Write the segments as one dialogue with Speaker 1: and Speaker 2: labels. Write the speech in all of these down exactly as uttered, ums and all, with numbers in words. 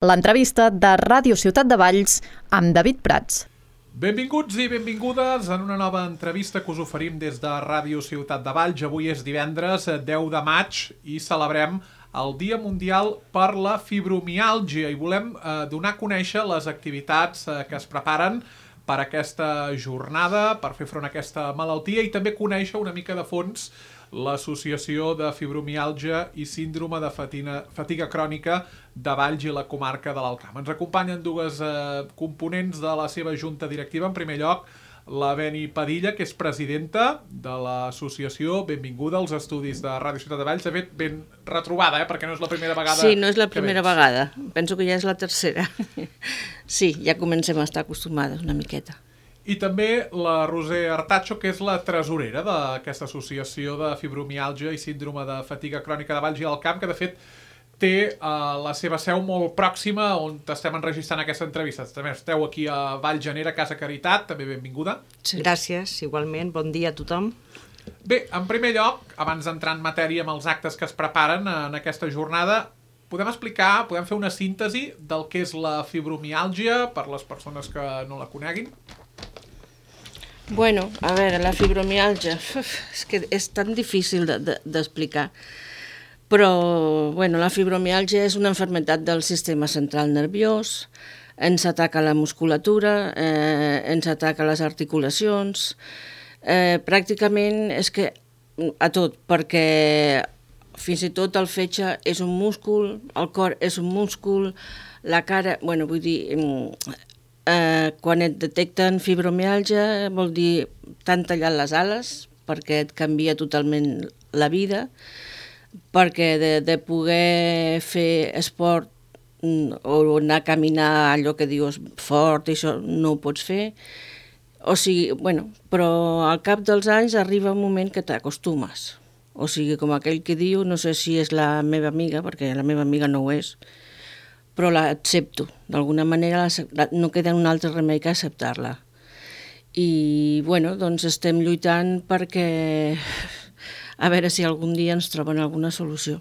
Speaker 1: L'entrevista de Ràdio Ciutat de Valls amb David Prats.
Speaker 2: Benvinguts i benvingudes en una nova entrevista que us oferim des de Ràdio Ciutat de Valls. Avui és divendres deu de maig i celebrem el Dia Mundial per la Fibromiàlgia i volem eh, donar a conèixer les activitats eh, que es preparen per aquesta jornada, per fer front a aquesta malaltia i també conèixer una mica de fons l'Associació de Fibromiàlgia i Síndrome de Fatiga, Fatiga Crònica de Valls i la comarca de l'Alt Camp. Ens acompanyen dues eh, components de la seva junta directiva. En primer lloc, la Beni Padilla, que és presidenta de l'associació. Benvinguda als estudis de Ràdio Ciutat de Valls. De fet, ben retrobada, eh? Perquè no és la primera vegada.
Speaker 3: Sí, no és la primera vegada. Penso que ja és la tercera. Sí, ja comencem a estar acostumades una miqueta.
Speaker 2: I també la Roser Artacho, que és la tresorera d'aquesta associació de fibromiàlgia i síndrome de fatiga crònica de Valls i Alt Camp, que de fet té uh, la seva seu molt pròxima on estem enregistrant aquesta entrevista. També esteu aquí a Vallgenera, Casa Caritat, també benvinguda.
Speaker 4: Sí. Gràcies, igualment, bon dia a tothom.
Speaker 2: Bé, en primer lloc, abans d'entrar en matèria amb els actes que es preparen en aquesta jornada, podem explicar, podem fer una síntesi del que és la fibromiàlgia per les persones que no la coneguin?
Speaker 3: Bueno, a veure, la fibromiàlgia, uf, és que és tan difícil d'explicar, de, de, però bueno, la fibromiàlgia és una malaltia del sistema central nerviós, ens ataca la musculatura, eh, ens ataca les articulacions, eh, pràcticament és que a tot, perquè fins i tot el fetge és un múscul, el cor és un múscul, la cara, bueno, vull dir... Eh, quan et detecten fibromiàlgia vol dir t'han tallat les ales perquè et canvia totalment la vida, perquè de, de poder fer esport o anar a caminar allò que dius fort i això no ho pots fer, o sigui, bueno, però al cap dels anys arriba un moment que t'acostumes, o sigui, com aquell que diu, no sé si és la meva amiga, perquè la meva amiga no ho és, però l'accepto. D'alguna manera no queda un altre remei que acceptar-la. I, bueno, doncs estem lluitant perquè a veure si algun dia ens troben alguna solució.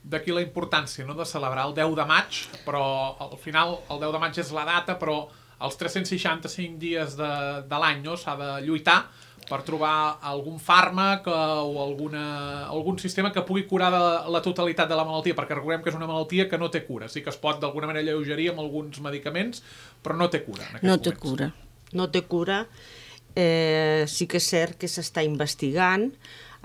Speaker 2: D'aquí la importància, no?, de celebrar el deu de maig, però al final el deu de maig és la data, però els tres-cents seixanta-cinc dies de, de l'any, no?, s'ha de lluitar per trobar algun fàrmac o alguna, algun sistema que pugui curar de la totalitat de la malaltia, perquè recordem que és una malaltia que no té cura. Sí que es pot d'alguna manera alleugerir amb alguns medicaments, però no té cura en aquests
Speaker 3: no té
Speaker 2: moments.
Speaker 3: Cura.
Speaker 4: No té cura. Eh, sí que és cert que s'està investigant.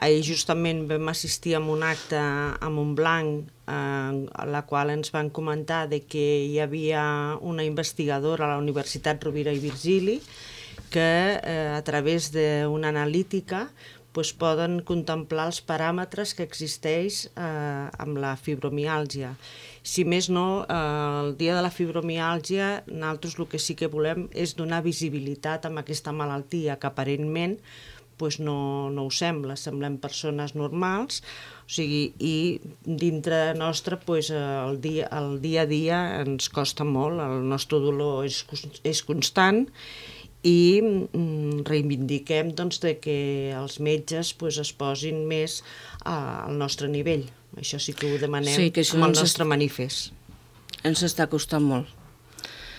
Speaker 4: Ahir justament vam assistir a un acte a Montblanc eh, a la qual ens van comentar de que hi havia una investigadora a la Universitat Rovira i Virgili que eh, a través d'una analítica pues, poden contemplar els paràmetres que existeix eh, amb la fibromiàlgia. Si més no, eh, el dia de la fibromiàlgia, nosaltres el que sí que volem és donar visibilitat a aquesta malaltia que aparentment pues, no, no ho sembla, semblem persones normals, o sigui, i dintre nostre pues, el, dia, el dia a dia ens costa molt, el nostre dolor és, és constant, i reivindiquem doncs, de que els metges pues, es posin més al nostre nivell. Això sí que ho demanem sí, que amb el nostre manifest.
Speaker 3: Ens està costant molt.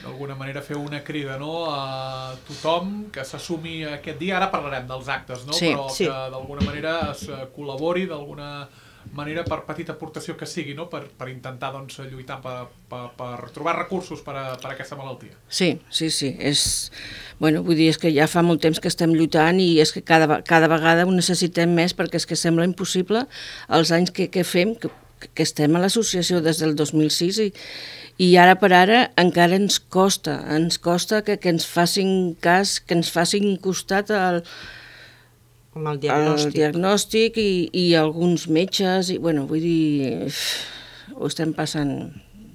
Speaker 2: D'alguna manera fer una crida, no?, a tothom que s'assumi aquest dia. Ara parlarem dels actes, no?,
Speaker 3: sí,
Speaker 2: però
Speaker 3: sí.
Speaker 2: que d'alguna manera es col·labori d'alguna manera per petita aportació que sigui, no?, per, per intentar doncs, lluitar per, per, per trobar recursos per a, per a aquesta malaltia.
Speaker 3: Sí, sí, sí. És, bueno, vull dir, és que ja fa molt temps que estem lluitant i és que cada, cada vegada ho necessitem més perquè és que sembla impossible els anys que, que fem, que, que estem a l'associació des del dos mil sis i, i ara per ara encara ens costa, ens costa que, que ens facin cas, que ens facin costat al
Speaker 4: amb el diagnòstic,
Speaker 3: el diagnòstic i, i alguns metges, i bueno, vull dir, ho estem passant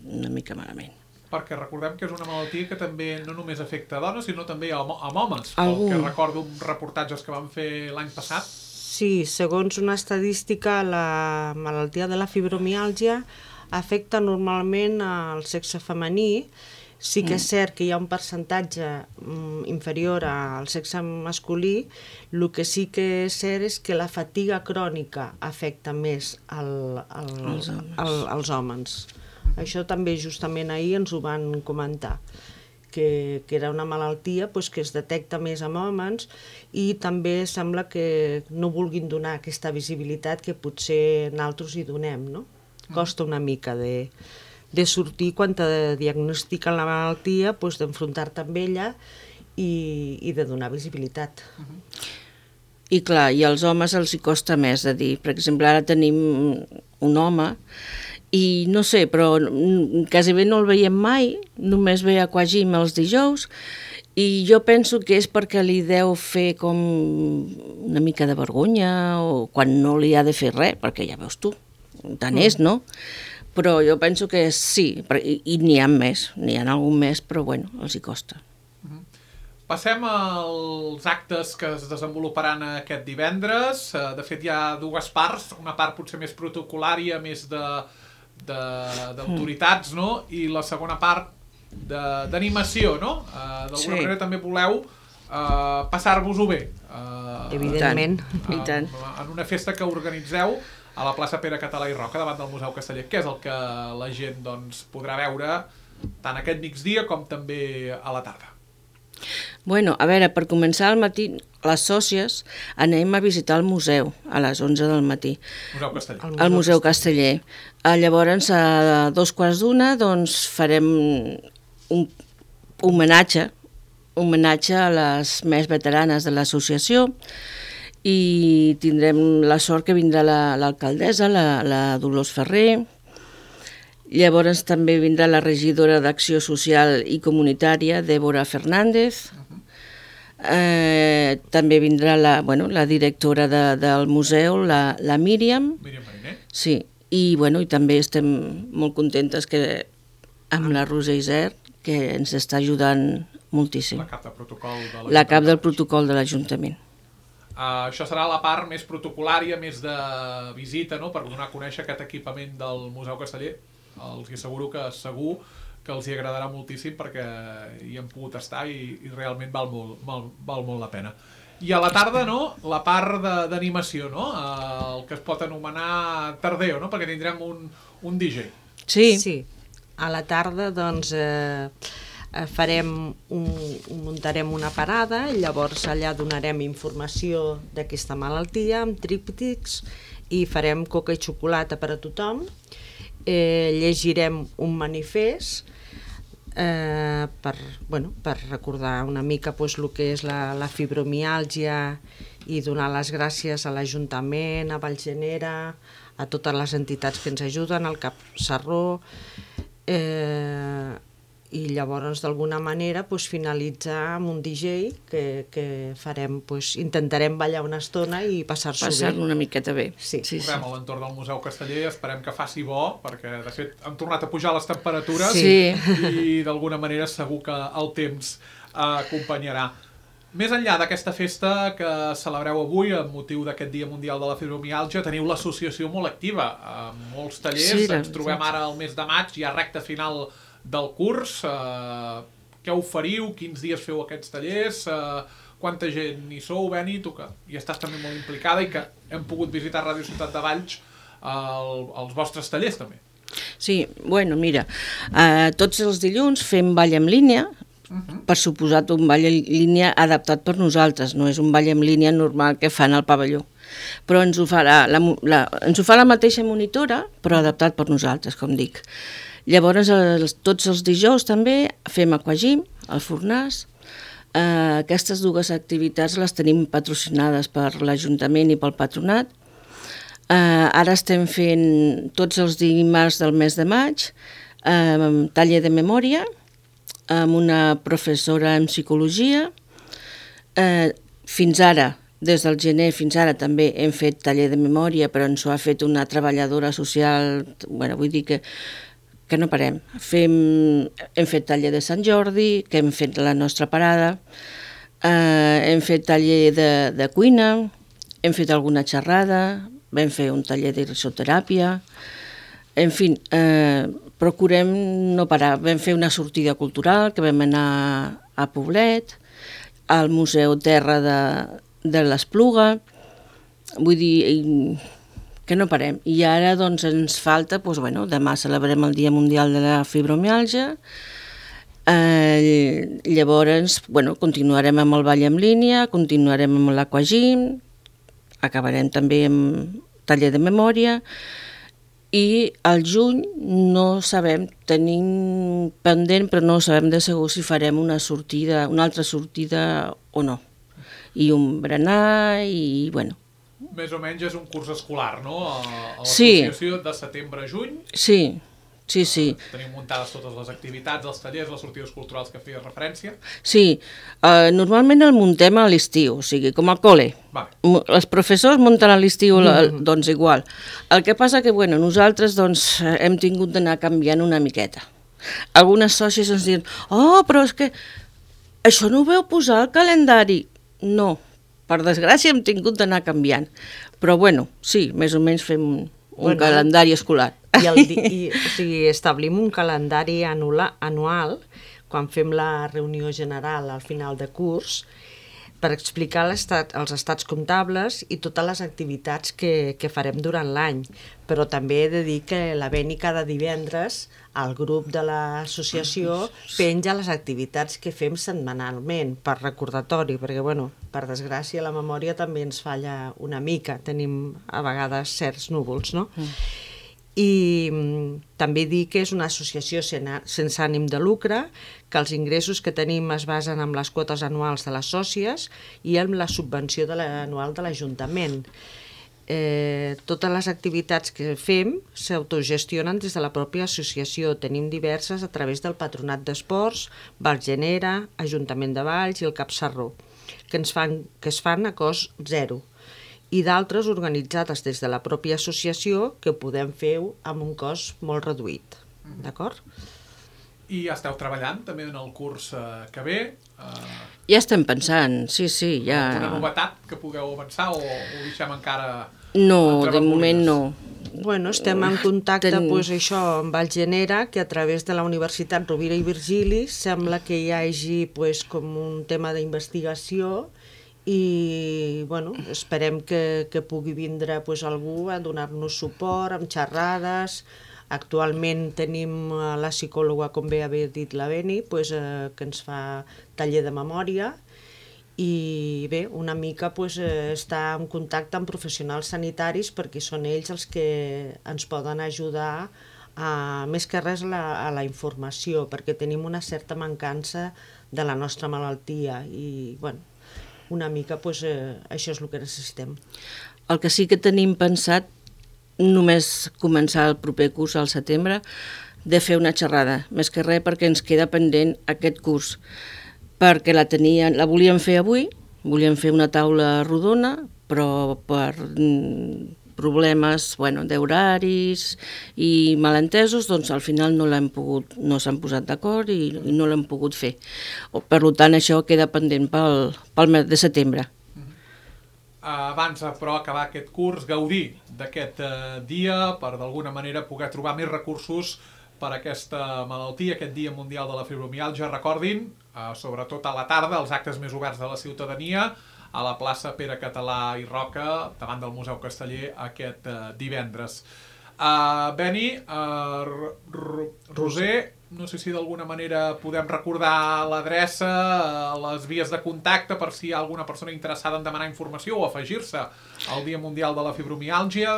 Speaker 3: una mica malament.
Speaker 2: Perquè recordem que és una malaltia que també no només afecta a dones, sinó també a, a homes,
Speaker 3: Algun...
Speaker 2: pel que recordo uns reportatges que vam fer l'any passat.
Speaker 4: Sí, segons una estadística, la malaltia de la fibromiàlgia afecta normalment al sexe femení. Sí que és cert que hi ha un percentatge mm, inferior al sexe masculí, el que sí que és cert és que la fatiga crònica afecta més al, al,
Speaker 3: als homes.
Speaker 4: Al, als homes. Uh-huh. Això també justament ahir ens ho van comentar, que, que era una malaltia pues, que es detecta més en homes i també sembla que no vulguin donar aquesta visibilitat que potser nosaltres hi donem, no? Costa una mica de, de sortir quan te diagnostiquen la malaltia, pues, d'enfrontar-te amb ella i, i de donar visibilitat.
Speaker 2: Uh-huh.
Speaker 3: I clar, i als homes els hi costa més de dir. Per exemple, ara tenim un home i no sé, però quasi bé no el veiem mai, només ve a Aquagym els dijous i jo penso que és perquè li deu fer com una mica de vergonya o quan no li ha de fer res, perquè ja veus tu, tant és, no? Però jo penso que sí, i, i n'hi ha més, n'hi ha algun més, però bueno, els hi costa.
Speaker 2: Passem als actes que es desenvoluparan aquest divendres. De fet, hi ha dues parts, una part potser més protocolària, més d'autoritats, no? I la segona part d'animació, no? Uh, D'alguna
Speaker 3: Sí.
Speaker 2: manera també voleu uh, passar-vos-ho bé. Uh,
Speaker 4: Evidentment.
Speaker 3: I tant.
Speaker 2: En una festa que organitzeu a la plaça Pere Català i Roca, davant del Museu Casteller. Què és el que la gent doncs, podrà veure tant aquest migdia com també a la tarda?
Speaker 3: Bueno, a veure, per començar al matí, les sòcies anem a visitar el museu a les onze del matí,
Speaker 2: Museu Casteller.
Speaker 3: al Museu Casteller. Ah, llavors, a dos quarts d'una, doncs farem un homenatge, homenatge a les més veteranes de l'associació i tindrem la sort que vindrà la- l'alcaldessa, la, la Dolors Ferrer. Llavors també vindrà la regidora d'Acció Social i Comunitària, Débora Fernández. Eh, també vindrà la, bueno, la directora de, del museu, la, la Míriam.
Speaker 2: Míriam Mariner.
Speaker 3: Sí, i, bueno, i també estem molt contentes que, amb la Roser Isert, que ens està ajudant moltíssim.
Speaker 2: La cap de protocol de
Speaker 3: La cap del protocol de l'Ajuntament.
Speaker 2: Uh, això serà la part més protocolària, més de visita, no?, per donar a conèixer aquest equipament del Museu Casteller. Els hi asseguro que segur que els hi agradarà moltíssim perquè hi hem pogut estar i, i realment val molt, val, val molt la pena. I a la tarda, no?, la part d'animació, no?, uh, el que es pot anomenar tardeo, no?, perquè tindrem un, un D J.
Speaker 3: Sí,
Speaker 4: Sí. A la tarda, doncs, eh, farem un, muntarem una parada, llavors allà donarem informació d'aquesta malaltia amb tríptics i farem coca i xocolata per a tothom. Eh, llegirem un manifest eh, per, bueno, per recordar una mica pues, el que és la, la fibromiàlgia i donar les gràcies a l'Ajuntament, a Vallgenera, a totes les entitats que ens ajuden, al Cap Sarró, eh, i llavors d'alguna manera pues, finalitzar amb un D J que, que farem, pues, intentarem ballar una estona i passar-s'ho
Speaker 3: passar
Speaker 4: bé.
Speaker 3: una miqueta bé.
Speaker 4: Sí.
Speaker 3: sí, sí.
Speaker 2: Correm a l'entorn del Museu Casteller, esperem que faci bo, perquè de fet han tornat a pujar les temperatures
Speaker 3: Sí.
Speaker 2: i d'alguna manera segur que el temps eh, acompanyarà. Més enllà d'aquesta festa que celebreu avui amb motiu d'aquest Dia Mundial de la Fibromiàlgia, teniu l'associació molt activa, amb molts tallers,
Speaker 3: Sí, la
Speaker 2: ens trobem
Speaker 3: veritat.
Speaker 2: ara al mes de maig, ja recta final del curs, eh, què oferiu, quins dies feu aquests tallers, eh, quanta gent hi sou, Beni, tu que hi estàs també molt implicada i que hem pogut visitar Ràdio Ciutat de Valls, el, els vostres tallers també.
Speaker 3: Sí, bueno, mira, eh, tots els dilluns fem ball en línia,
Speaker 2: Uh-huh.
Speaker 3: per suposat un ball en línia adaptat per nosaltres, no és un ball en línia normal que fan al pavelló, però ens ho fa la, la, la, ens ho fa la mateixa monitora, però adaptat per nosaltres, com dic. Llavors, els, tots els dijous també fem Aquagym, al Fornàs. Eh, aquestes dues activitats les tenim patrocinades per l'Ajuntament i pel Patronat. Eh, ara estem fent tots els dimarts del mes de maig, eh, taller de memòria, amb una professora en psicologia. Eh, fins ara, des del gener fins ara també hem fet taller de memòria, però ens ho ha fet una treballadora social, bueno, vull dir que, que no parem. Fem, hem fet taller de Sant Jordi, que hem fet la nostra parada, eh, hem fet taller de, de cuina, hem fet alguna xerrada, vam fer un taller de risoteràpia, en fi, eh, procurem no parar. Vam fer una sortida cultural que vam anar a Poblet, al Museu Terra de, de l'Espluga, vull dir que no parem. I ara doncs ens falta, doncs, bueno, demà celebrem el Dia Mundial de la Fibromiàlgia, eh, llavors bueno, continuarem amb el ball en línia, continuarem amb l'aquagym, acabarem també amb taller de memòria, i al juny no sabem, tenim pendent, però no sabem de segur si farem una sortida, una altra sortida o no. I un berenar i, bueno...
Speaker 2: Més o menys és un curs escolar, no? A, a
Speaker 3: Sí.
Speaker 2: l'associació de setembre a juny.
Speaker 3: Sí, sí, sí.
Speaker 2: Tenim muntades totes les activitats, els tallers, les sortides culturals que feies referència.
Speaker 3: Sí, uh, normalment el muntem a l'estiu, o sigui, com al col·le.
Speaker 2: Vale.
Speaker 3: Els professors munten a l'estiu, mm. doncs igual. El que passa que, bueno, nosaltres doncs, hem tingut d'anar canviant una miqueta. Algunes sòcies ens diuen, oh, però és que això no ho veu posar al calendari. No, per desgràcia hem tingut d'anar canviant. Però, bueno, sí, més o menys fem un, un bueno, calendari escolar.
Speaker 4: I, el, i o sigui, establim un calendari anula, anual quan fem la reunió general al final de curs per explicar l'estat, els estats comptables i totes les activitats que, que farem durant l'any. Però també he de dir que la Beni cada divendres al grup de l'associació penja les activitats que fem setmanalment per recordatori, perquè, bueno, per desgràcia la memòria també ens falla una mica, tenim a vegades certs núvols, no? Mm. I mm, també dir que és una associació sense ànim de lucre, que els ingressos que tenim es basen en les quotes anuals de les sòcies i en la subvenció de l'anual de l'Ajuntament. Eh, totes les activitats que fem s'autogestionen des de la pròpia associació. Tenim diverses a través del Patronat d'Esports, Valgenera, Ajuntament de Valls i el Cap Sarró, que, ens fan, que es fan a cost zero, i d'altres organitzades des de la pròpia associació que podem fer amb un cost molt reduït. D'acord?
Speaker 2: I esteu treballant també en el curs eh, que ve? Eh,
Speaker 3: ja estem pensant, sí, sí. Ja...
Speaker 2: Una novetat que pugueu avançar o ho deixem encara...
Speaker 3: No, de moment no.
Speaker 4: Bueno, estem en contacte Ten... pues, això, amb Valgenera, que a través de la Universitat Rovira i Virgili sembla que hi hagi pues, com un tema d'investigació i bueno, esperem que, que pugui vindre pues, algú a donar-nos suport amb xerrades. Actualment tenim la psicòloga, com bé havia dit la Beni, pues, eh, que ens fa taller de memòria i bé, una mica pues, eh, està en contacte amb professionals sanitaris perquè són ells els que ens poden ajudar a, més que res a la, a la informació, perquè tenim una certa mancança de la nostra malaltia i bueno, una mica pues, eh, això és el que necessitem.
Speaker 3: El que sí que tenim pensat, només començar el proper curs al setembre, de fer una xerrada, més que res perquè ens queda pendent aquest curs, perquè la, tenien, la volíem fer avui, volíem fer una taula rodona, però per problemes bueno, d'horaris i malentesos, doncs al final no l'hem pogut, no s'han posat d'acord i, i no l'hem pogut fer. Per tant, això queda pendent pel, pel mes de setembre.
Speaker 2: Abans, però, acabar aquest curs, gaudir d'aquest eh, dia per d'alguna manera poder trobar més recursos per a aquesta malaltia, aquest Dia Mundial de la Fibromiàlgia. Recordin, eh, sobretot a la tarda, els actes més oberts de la ciutadania, a la plaça Pere Català i Roca, davant del Museu Casteller, aquest eh, divendres. Uh, Beni, uh, Roser, no sé si d'alguna manera podem recordar l'adreça, uh, les vies de contacte per si hi ha alguna persona interessada en demanar informació o afegir-se al Dia Mundial de la Fibromiàlgia.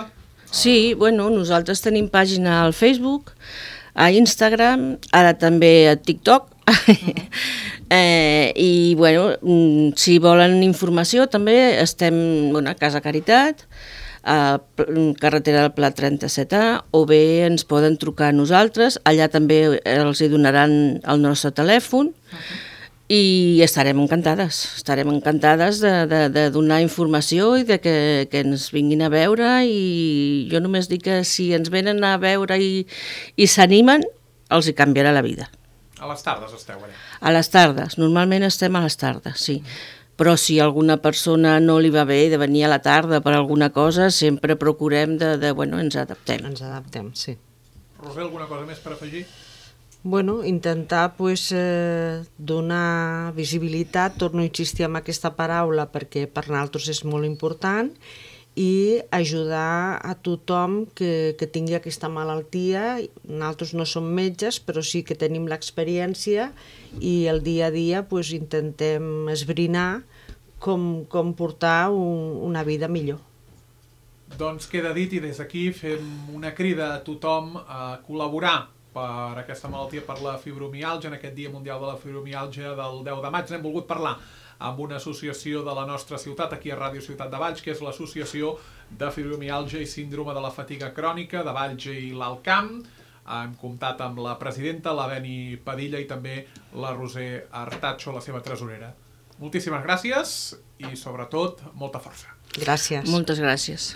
Speaker 3: Sí, bueno, nosaltres tenim pàgina al Facebook, a Instagram, ara també a TikTok. Uh-huh. eh, I, bueno, si volen informació també estem bueno, a Casa Caritat, a carretera del Pla trenta-set A, o bé ens poden trucar a nosaltres, allà també els hi donaran el nostre telèfon. Uh-huh. I estarem encantades, estarem encantades de, de, de donar informació i de que, que ens vinguin a veure, i jo només dic que si ens venen a veure i, i s'animen, els hi canviarà la vida.
Speaker 2: A les tardes esteu allà?
Speaker 3: A les tardes, normalment estem a les tardes, sí. Però si alguna persona no li va bé de venir a la tarda per alguna cosa, sempre procurem de, de bueno, ens adaptem.
Speaker 4: Ens adaptem, sí.
Speaker 2: Roser, alguna cosa més per afegir?
Speaker 4: Bueno, intentar pues, eh, donar visibilitat, torno a insistir en aquesta paraula perquè per nosaltres és molt important, i ajudar a tothom que, que tingui aquesta malaltia. Nosaltres no som metges, però sí que tenim l'experiència i el dia a dia pues, intentem esbrinar com, com portar un, una vida millor.
Speaker 2: Doncs queda dit, i des d'aquí fem una crida a tothom a col·laborar per aquesta malaltia, per la fibromiàlgia, en aquest Dia Mundial de la Fibromiàlgia del deu de maig. N'hem volgut parlar amb una associació de la nostra ciutat, aquí a Ràdio Ciutat de Valls, que és l'Associació de Fibromiàlgia i Síndrome de la Fatiga Crònica de Valls i l'Alt Camp. Hem comptat amb la presidenta, la Beni Padilla, i també la Roser Artacho, la seva tresorera. Moltíssimes gràcies i, sobretot, molta força.
Speaker 4: Gràcies.
Speaker 3: Moltes gràcies.